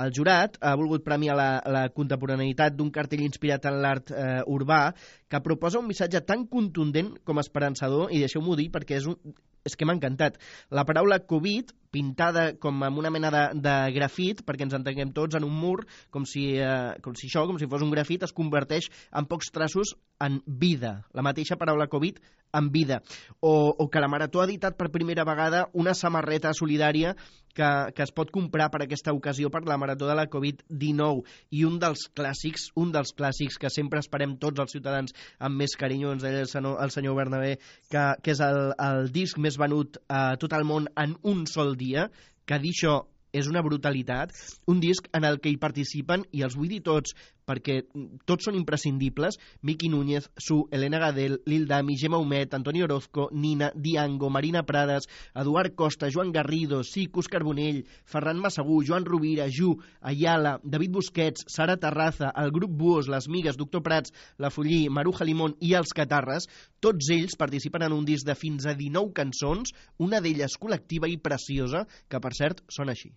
El jurat ha volgut premiar la contemporaneïtat d'un cartell inspirat en l'art urbà que proposa un missatge tan contundent com esperançador, i deixeu-m'ho dir perquè és que m'ha encantat. La paraula Covid, pintada com amb una mena de grafit, perquè ens entenguem tots, en un mur, com si fos un grafit, es converteix en pocs traços en vida. La mateixa paraula Covid en vida. O que la Marató ha editat per primera vegada una samarreta solidària que es pot comprar per aquesta ocasió per la Marató de la Covid-19. I un dels clàssics que sempre esperem tots els ciutadans amb més carinyo, ens deia el senyor Bernabé, que és el disc més venut a tot el món en un sol dia, que dir això és una brutalitat, un disc en el que hi participen, i els vull dir tots, perquè tots són imprescindibles, Miqui Núñez, Su, Elena Gadel, Lil Dami, Gemma Humet, Antoni Orozco, Nina, Diango, Marina Prades, Eduard Costa, Joan Garrido, Òscar Carbonell, Ferran Massagú, Joan Rovira, Ju, Ayala, David Busquets, Sara Terraza, el grup Buos, Les Migues, Doctor Prats, La Follí, Maruja Limón i els Catarres, tots ells participen en un disc de fins a 19 cançons, una d'elles col·lectiva i preciosa, que per cert sona així.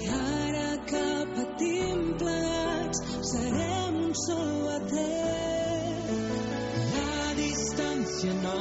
I ara que patim plegats serem un sol batet. La distància no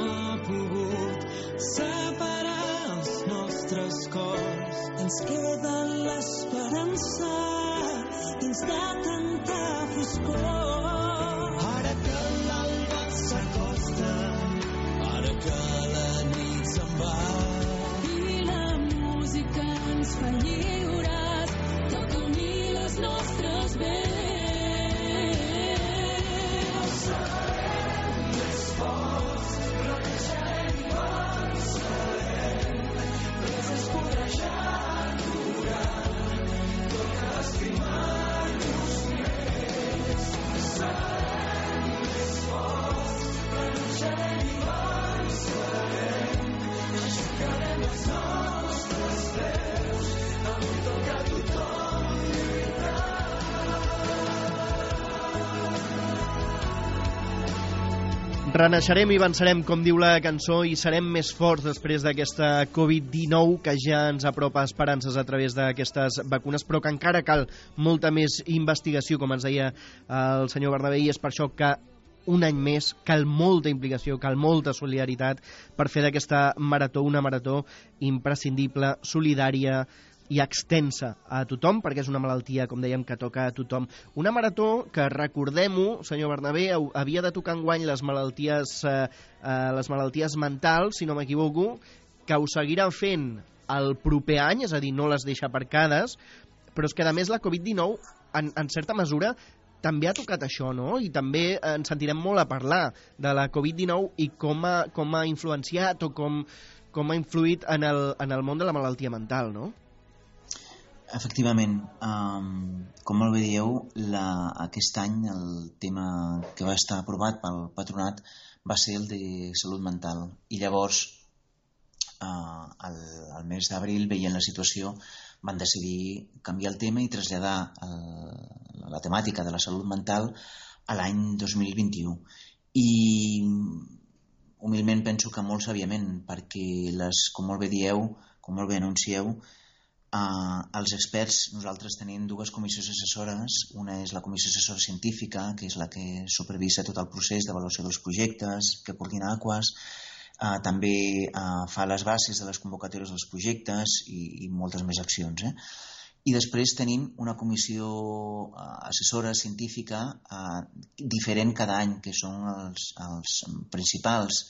Renaixerem i vencerem, com diu la cançó, i serem més forts després d'aquesta Covid-19 que ja ens apropa esperances a través d'aquestes vacunes, però que encara cal molta més investigació, com ens deia el senyor Bernabé, i és per això que un any més cal molta implicació, cal molta solidaritat per fer d'aquesta marató una marató imprescindible, solidària i extensa a tothom, perquè és una malaltia, com dèiem, que toca a tothom. Una marató que, recordem-ho, senyor Bernabé, havia de tocar enguany les malalties mentals, si no m'equivoco, que ho seguiran fent el proper any, és a dir, no les deixa aparcades, però és que, a més, la Covid-19, en certa mesura, també ha tocat això, no? I també ens sentirem molt a parlar de la Covid-19 i com ha influenciat o com ha influït en el món de la malaltia mental, no? Efectivament, com molt bé dieu, aquest any el tema que va estar aprovat pel patronat va ser el de salut mental. I llavors, al mes d'abril, veient la situació, van decidir canviar el tema i traslladar la temàtica de la salut mental a l'any 2021. I humilment penso que molt sàviament, perquè com molt bé dieu, com molt bé anuncieu, els experts, nosaltres tenim dues comissions assessores. Una és la comissió assessora científica, que és la que supervisa tot el procés d'avaluació dels projectes, que coordina Aquas, també fa les bases de les convocatòries dels projectes i moltes més accions. I després tenim una comissió assessora científica diferent cada any, que són els principals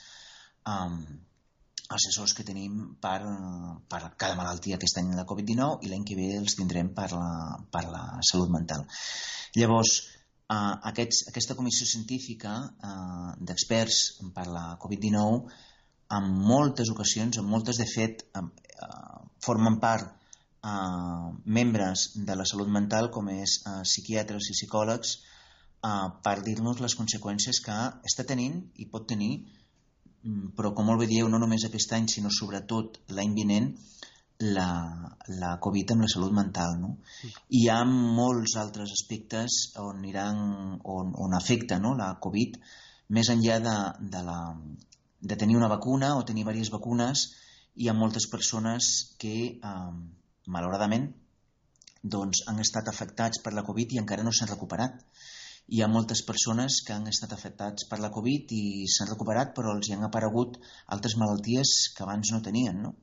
assessors que tenim per cada malaltia. Aquest any la Covid-19 i l'any que ve els tindrem per la salut mental. Llavors, aquesta comissió científica d'experts per la Covid-19 en moltes ocasions, en moltes de fet, formen part membres de la salut mental, com és psiquiatres i psicòlegs, per dir-nos les conseqüències que està tenint i pot tenir, però com molt bé dieu, no només aquest any, sinó sobretot l'any vinent, la Covid amb la salut mental, no? I hi ha molts altres aspectes on afecta, no, la Covid, més enllà de tenir una vacuna o tenir diverses vacunes. Hi ha moltes persones que, malauradament, doncs, han estat afectats per la Covid i encara no s'han recuperat. Hi ha moltes persones que han estat afectats per la Covid i s'han recuperat, però els hi han aparegut altres malalties que abans no tenien, no?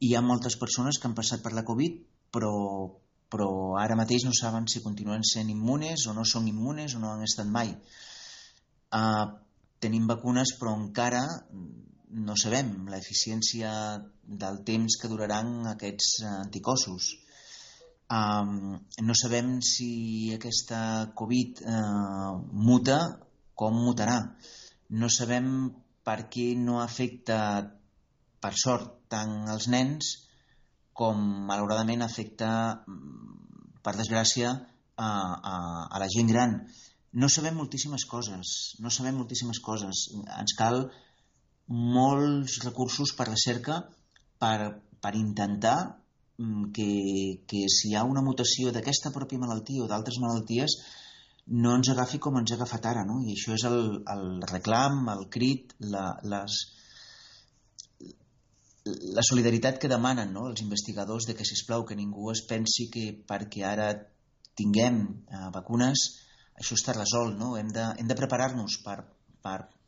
Hi ha moltes persones que han passat per la Covid, però ara mateix no saben si continuen sent immunes o no són immunes o no han estat mai. Tenim vacunes, però encara no sabem l'eficiència del temps que duraran aquests anticossos. No sabem si aquesta Covid muta, com mutarà. No sabem per què no afecta, per sort, tant els nens com malauradament afecta, per desgràcia, a la gent gran. No sabem moltíssimes coses. Ens cal molts recursos per recerca per intentar que si hi ha una mutació d'aquesta pròpia malaltia o d'altres malalties no ens agafi com ens ha agafat ara, no? I això és el reclam, el crit, la solidaritat que demanen, no, els investigadors, de que, sisplau, que ningú es pensi que perquè ara tinguem vacunes això està resolt, no? Hem de preparar-nos per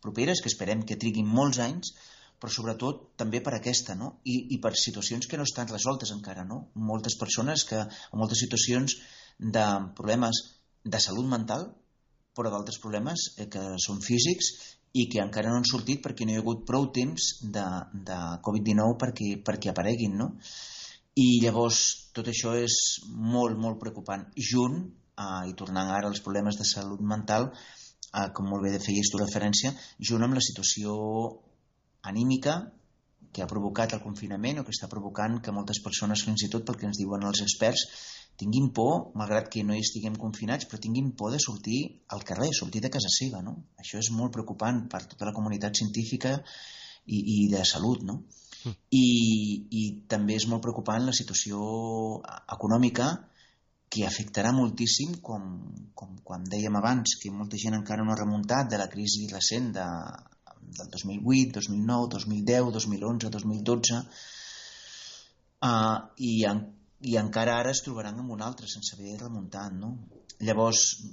properes, que esperem que triguin molts anys, però sobretot també per aquesta, no? I per situacions que no estan resoltes encara, no? Moltes persones en moltes situacions de problemes de salut mental, però d'altres problemes que són físics i que encara no han sortit perquè no hi ha hagut prou temps de Covid-19 perquè apareguin, no? I llavors tot això és molt, molt preocupant. Junt, i tornant ara als problemes de salut mental, com molt bé feies tu referència, junt amb la situació anímica que ha provocat el confinament o que està provocant que moltes persones, fins i tot pel que ens diuen els experts, tinguin por, malgrat que no hi estiguem confinats, però tinguin por de sortir al carrer, sortir de casa seva, no? Això és molt preocupant per tota la comunitat científica i de salut, no? I també és molt preocupant la situació econòmica que afectarà moltíssim, com dèiem abans, que molta gent encara no ha remuntat de la crisi recent del 2008, 2009, 2010, 2011, 2012, i encara ara es trobaran amb un altre sense haver remuntat, no? Llavors,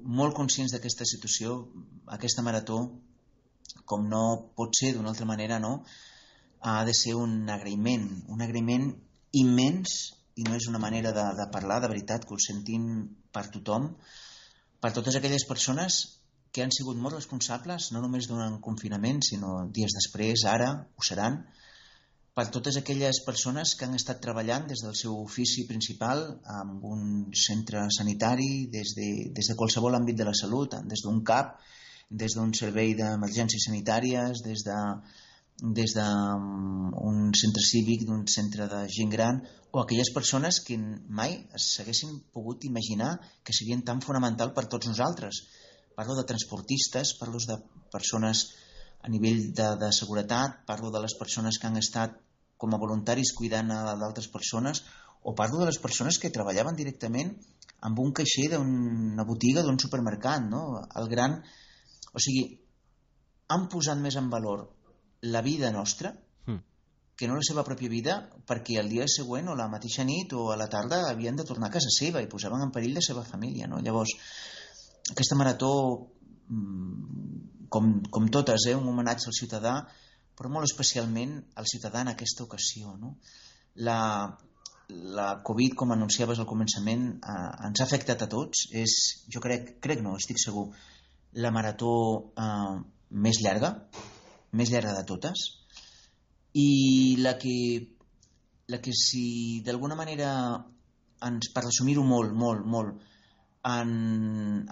molt conscients d'aquesta situació, aquesta marató, com no pot ser d'una altra manera, no? Ha de ser un agraïment immens, i no és una manera de parlar, de veritat, que ho sentim per tothom, per totes aquelles persones que han sigut molt responsables, no només durant confinament, sinó dies després, ara, ho seran, per totes aquelles persones que han estat treballant des del seu ofici principal en un centre sanitari, des de qualsevol àmbit de la salut, des d'un CAP, des d'un servei d'emergències sanitàries, des d'un centre cívic, d'un centre de gent gran, o aquelles persones que mai s'haguessin pogut imaginar que serien tan fonamental per tots nosaltres. Parlo de transportistes, parlo de persones a nivell de seguretat, parlo de les persones que han estat com a voluntaris cuidant d'altres persones, o parlo de les persones que treballaven directament amb un caixer d'una botiga, d'un supermercat, no? O sigui, han posat més en valor la vida nostra que no la seva pròpia vida, perquè el dia següent o la mateixa nit o a la tarda havien de tornar a casa seva i posaven en perill la seva família, no? Llavors, aquesta marató, com totes, un homenatge al ciutadà, però molt especialment al ciutadà en aquesta ocasió, no? La Covid, com anunciaves al començament, ens ha afectat a tots. Jo crec no, estic segur, la marató més llarga de totes, i la que si d'alguna manera, per resumir-ho molt, ens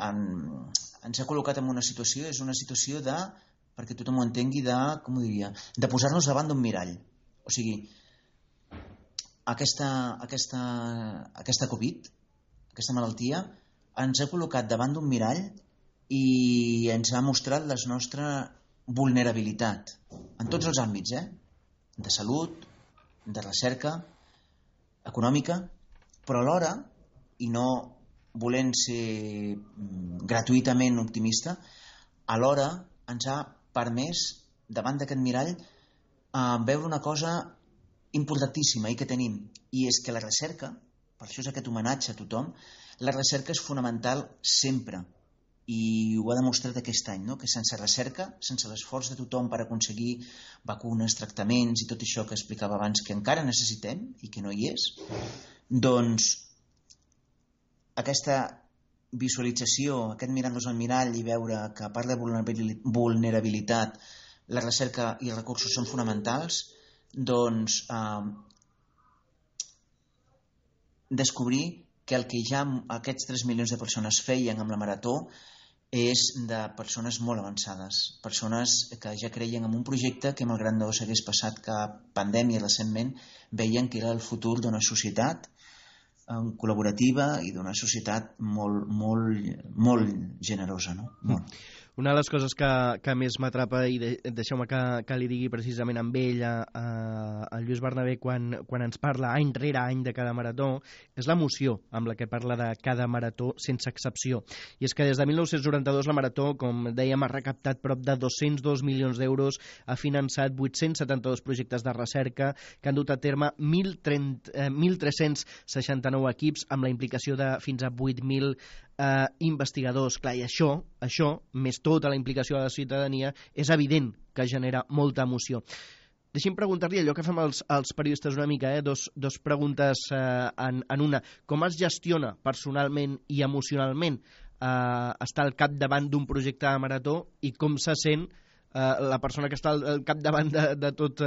ha col·locat en una situació, és una situació perquè tothom ho entengui, de posar-nos davant d'un mirall. O sigui, aquesta Covid, aquesta malaltia, ens ha col·locat davant d'un mirall i ens ha mostrat la nostra vulnerabilitat en tots els àmbits, de salut, de recerca, econòmica, però alhora, i no volent ser gratuïtament optimista, alhora ens ha permès, davant d'aquest mirall, veure una cosa importantíssima i que tenim, i és que la recerca, per això és aquest homenatge a tothom, la recerca és fonamental sempre, i ho ha demostrat aquest any, no? Que sense recerca, sense l'esforç de tothom per aconseguir vacunes, tractaments i tot això que explicava abans que encara necessitem i que no hi és, doncs aquesta visualització, aquest mirar-nos al mirall i veure que a part de vulnerabilitat la recerca i els recursos són fonamentals, doncs descobrir que el que ja aquests 3 milions de persones feien amb la marató és de persones molt avançades, persones que ja creien en un projecte que malgrat no s'hagués passat cap pandèmia recentment, veien que era el futur d'una societat col·laborativa i d'una societat molt generosa, no? Molt. Una de les coses que més m'atrapa, i deixeu-me que li digui precisament amb ell, el Lluís Bernabé, quan ens parla any rere any de cada marató, és l'emoció amb la que parla de cada marató sense excepció. I és que des de 1992 la marató, com dèiem, ha recaptat prop de 202 milions d'euros, ha finançat 872 projectes de recerca que han dut a terme 1.369 equips amb la implicació de fins a 8.000 investigadors. Clar, i això, més tota la implicació de la ciutadania, és evident que genera molta emoció. Deixi'm preguntar-li allò que fem els periodistes una mica, dos preguntes en una. Com es gestiona personalment i emocionalment estar al capdavant d'un projecte de marató i com se sent la persona que està al capdavant de tot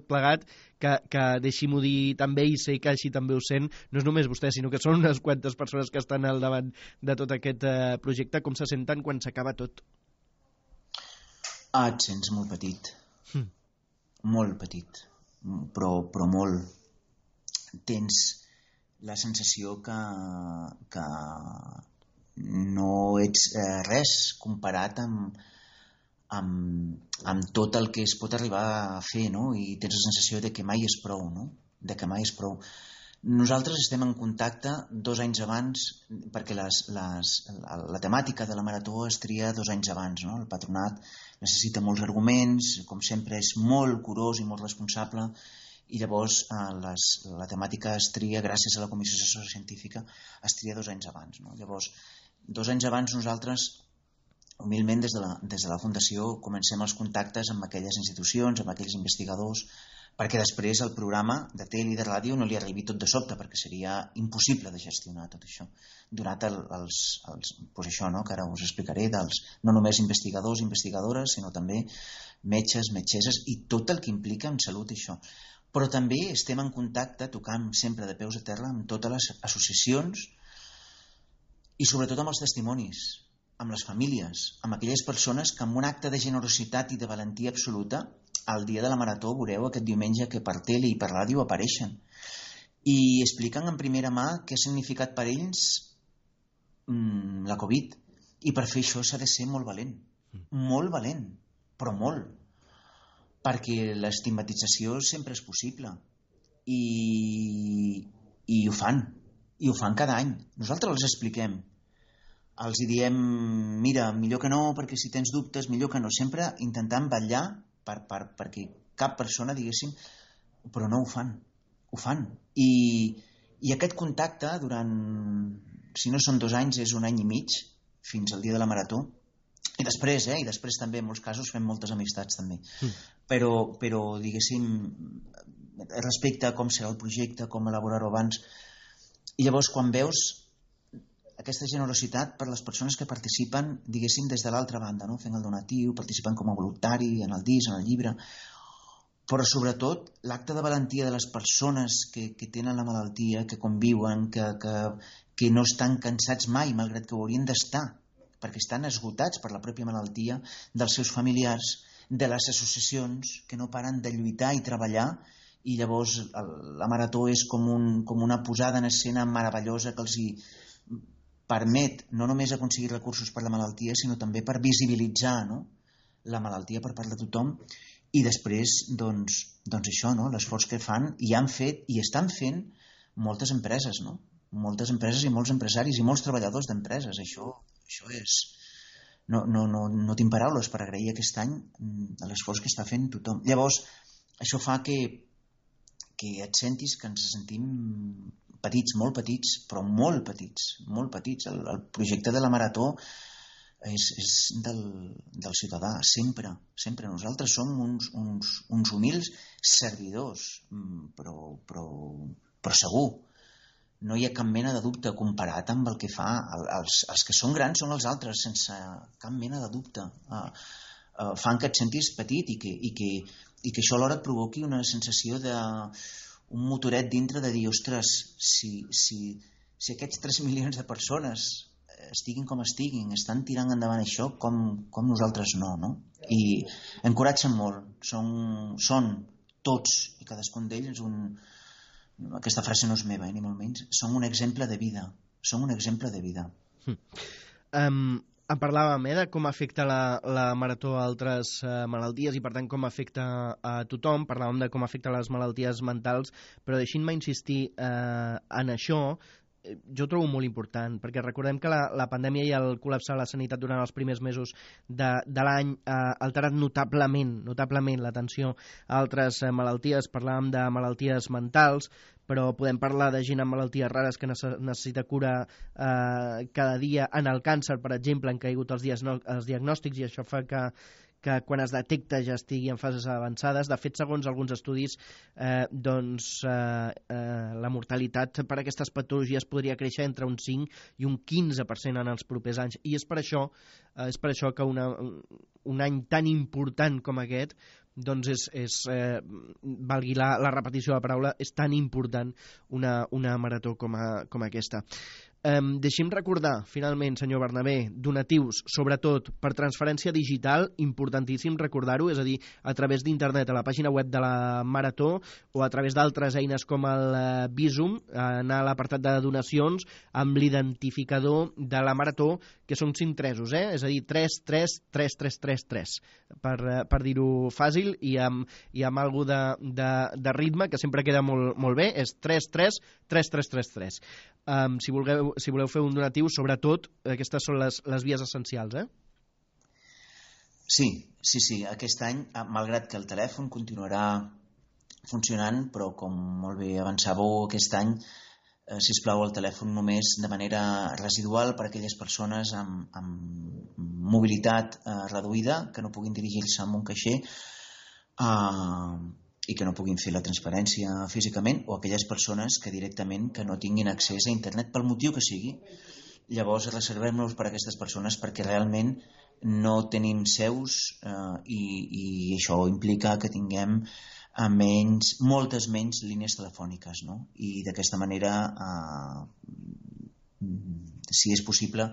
plegat, que deixi-m'ho dir també, i sé que així també ho sent, no és només vostè, sinó que són unes quantes persones que estan al davant de tot aquest projecte. Com se senten quan s'acaba tot? Et sents molt petit. Molt petit, però molt. Tens la sensació que no ets res comparat amb tot el que es pot arribar a fer, no? I tens la sensació de que mai és prou, no? De que mai és prou. Nosaltres estem en contacte 2 anys abans, perquè la temàtica de la marató es tria 2 anys abans, no? El patronat necessita molts arguments, com sempre és molt curós i molt responsable, i llavors la temàtica es tria gràcies a la Comissió Assessora Científica, es tria 2 anys abans, no? Llavors, 2 anys abans nosaltres, humilment des de la Fundació, comencem els contactes amb aquelles institucions, amb aquells investigadors, perquè després el programa de tele i de ràdio no li arribi tot de sobte, perquè seria impossible de gestionar tot això, donat pues això, no? Que ara us explicaré, no només investigadors i investigadores, sinó també metges, metgesses i tot el que implica en salut això. Però també estem en contacte, tocant sempre de peus a terra, amb totes les associacions i sobretot amb els testimonis, amb les famílies, amb aquelles persones que amb un acte de generositat i de valentia absoluta el dia de la marató veureu aquest diumenge que per tele i per ràdio apareixen i expliquen en primera mà què ha significat per ells la Covid, i per fer això s'ha de ser molt valent, però molt, perquè l'estigmatització sempre és possible i ho fan cada any. Nosaltres els expliquem, els diem, mira, millor que no, perquè si tens dubtes, millor que no, sempre intentant vetllar perquè cap persona, diguéssim, però no ho fan. I aquest contacte durant, si no són 2 anys, és 1 any i mig, fins al dia de la marató. I després també en molts casos fem moltes amistats també. Però diguéssim, respecte a com serà el projecte, com elaborar-ho abans. I llavors quan veus aquesta generositat per les persones que participen, diguéssim, des de l'altra banda, no? Fent el donatiu, participen com a voluntari en el disc, en el llibre, però sobretot l'acte de valentia de les persones que tenen la malaltia, que conviuen, que no estan cansats mai, malgrat que ho haurien d'estar, perquè estan esgotats per la pròpia malaltia, dels seus familiars, de les associacions que no paren de lluitar i treballar, i llavors la marató és com una posada en escena meravellosa que els hi permet no només aconseguir recursos per la malaltia, sinó també per visibilitzar, no? La malaltia per part de tothom, i després doncs això, no? L'esforç que fan i han fet i estan fent moltes empreses, no? Moltes empreses i molts empresaris i molts treballadors d'empreses. Això és... No tinc paraules per agrair aquest any l'esforç que està fent tothom. Llavors, això fa que et sentis que ens sentim petits, molt petits, però molt petits. El projecte de la marató és del ciutadà, sempre. Nosaltres som uns humils servidors, però segur. No hi ha cap mena de dubte comparat amb el que fa. Els que són grans són els altres, sense cap mena de dubte. Fan que et sentis petit i que això alhora et provoqui una sensació un motoret dintre de dir, ostres, si aquests 3 milions de persones estiguin com estiguin, estan tirant endavant això, com nosaltres no? I encoratgen molt, són tots i cadascun d'ells aquesta frase no és meva, ni molt menys, són un exemple de vida, En parlàvem de com afecta la marató a altres malalties i per tant com afecta a tothom, parlàvem de com afecta les malalties mentals, però deixin-me insistir en això. Jo ho trobo molt important, perquè recordem que la pandèmia i el col·lapse de la sanitat durant els primers mesos de l'any ha alterat notablement l'atenció a altres malalties. Parlàvem de malalties mentals, però podem parlar de gent amb malalties rares que necessita cura cada dia. En el càncer, per exemple, han caigut els diagnòstics i això fa que quan es detecta ja estigui en fases avançades. De fet, segons alguns estudis, la mortalitat per aquestes patologies podria créixer entre un 5 i un 15% en els propers anys. I és per això que un any tan important com aquest, doncs valgui la repetició de la paraula, és tan important una marató com aquesta. Deixi'm recordar, finalment, senyor Bernabé, donatius, sobretot per transferència digital, importantíssim recordar-ho, és a dir, a través d'internet, a la pàgina web de la Marató, o a través d'altres eines com el Bizum, anar a l'apartat de donacions amb l'identificador de la Marató, que són 5 tresos, és a dir, 33333, per dir-ho fàcil, i amb algú de ritme, que sempre queda molt bé, és 333333. Si voleu fer un donatiu, sobretot, aquestes són les vies essencials, Sí. Aquest any, malgrat que el telèfon continuarà funcionant, però com molt bé avançàveu aquest any, sisplau, el telèfon només de manera residual per a aquelles persones amb mobilitat reduïda, que no puguin dirigir-se a un caixer i que no puguin fer la transferència físicament, o aquelles persones que directament que no tinguin accés a internet pel motiu que sigui. Llavors reservem-los per a aquestes persones perquè realment no tenim seus i això implica que tinguem moltes menys línies telefòniques, no? I d'aquesta manera, si és possible,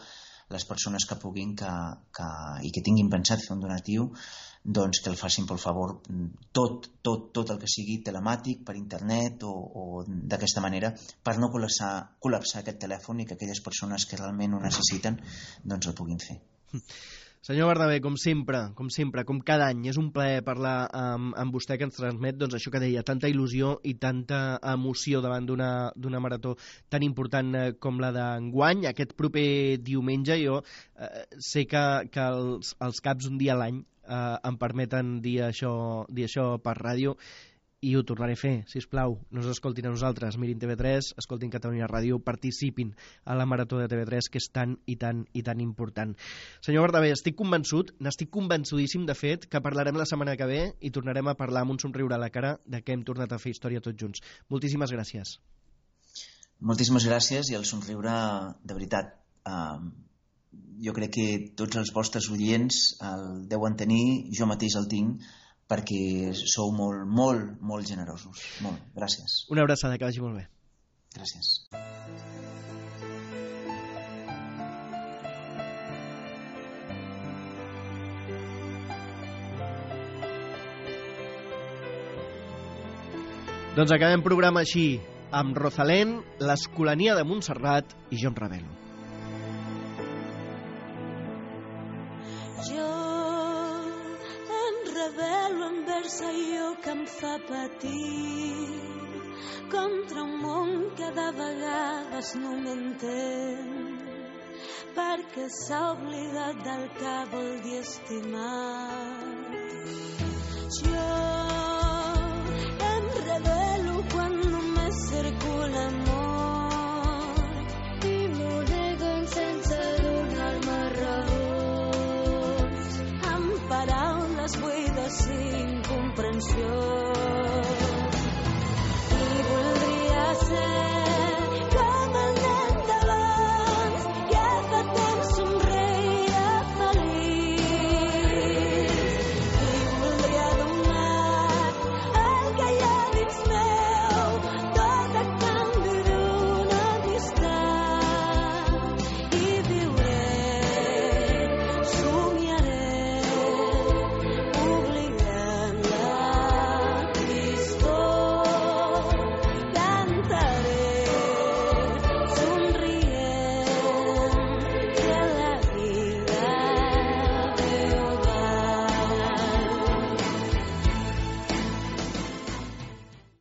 les persones que puguin i que tinguin pensat fer un donatiu, doncs que el facin, per favor, tot el que sigui telemàtic, per internet o d'aquesta manera, per no col·lapsar aquest telèfon i que aquelles persones que realment ho necessiten doncs el puguin fer. Senyor Bernabé, com sempre, com cada any, és un plaer parlar amb vostè, que ens transmet doncs, això que deia, tanta il·lusió i tanta emoció davant d'una marató tan important com la d'enguany. Aquest proper diumenge jo sé que els caps un dia a l'any em permeten dir això per ràdio, i ho tornaré a fer, sisplau. No us escoltin a nosaltres, mirin TV3, escoltin Catalunya Ràdio, participin a la Marató de TV3, que és tan i tan important. Senyor Bernabé, n'estic convençudíssim, de fet, que parlarem la setmana que ve i tornarem a parlar amb un somriure a la cara de que hem tornat a fer història tots junts. Moltíssimes gràcies. Moltíssimes gràcies, i el somriure, de veritat, jo crec que tots els vostres oients el deuen tenir, jo mateix el tinc, perquè sou molt generosos. Molt, gràcies. Una abraçada, que vagi molt bé. Gràcies. Doncs acabem programa així, amb Rosalén, l'Escolania de Montserrat i Jo em rebel·lo. Allò que em fa patir contra un món que de vegades no m'entén, perquè s'ha oblidat del que vol dir estimar. Jo